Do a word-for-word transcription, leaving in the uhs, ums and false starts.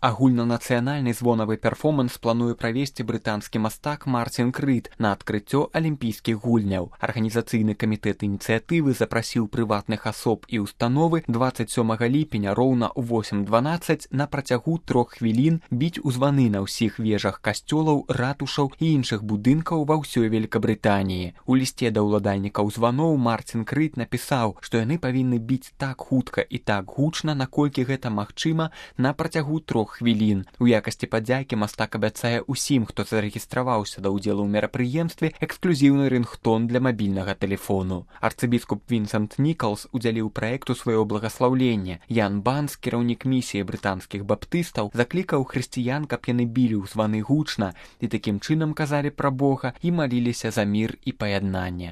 Агульнанацыянальны звонавы перформанс плануе правесці брытанскі мастак Марцін Крыт на адкрыццё алімпійскіх гульняў. Арганізацыйны камітэт ініцыятывы запрасіў прыватных асоб і установы дваццаць сёмага ліпеня роўна ў восем дванаццаць на працягу трох хвілін біць у званы на ўсіх вежах касцёлаў, ратушаў і іншых будынкаў ва ўсёй Великабрытаніі. У лісце да ўладальнікаў званоў Марцін Крыт напісаў, што яны павінны біць так хутка і так гучна, наколькі гэта магчыма на працягу трох хвілін. У якасці падзякі мастак абяцае ўсім, хто зарэгістраваўся да ўдзелу ў мерапрыемстве, эксклюзіўны рынгтон для мабільнага тэлефону. Арцыбіскуп Вінсент Нікалс удзяліў праекту сваё благаслаўленне. Ян Банс, кіраўнік місіі брытанскіх баптыстаў, заклікаў хрысціян, каб яны білі ў званы гучна і такім чынам казалі пра Бога і маліліся за мір і паяднанне.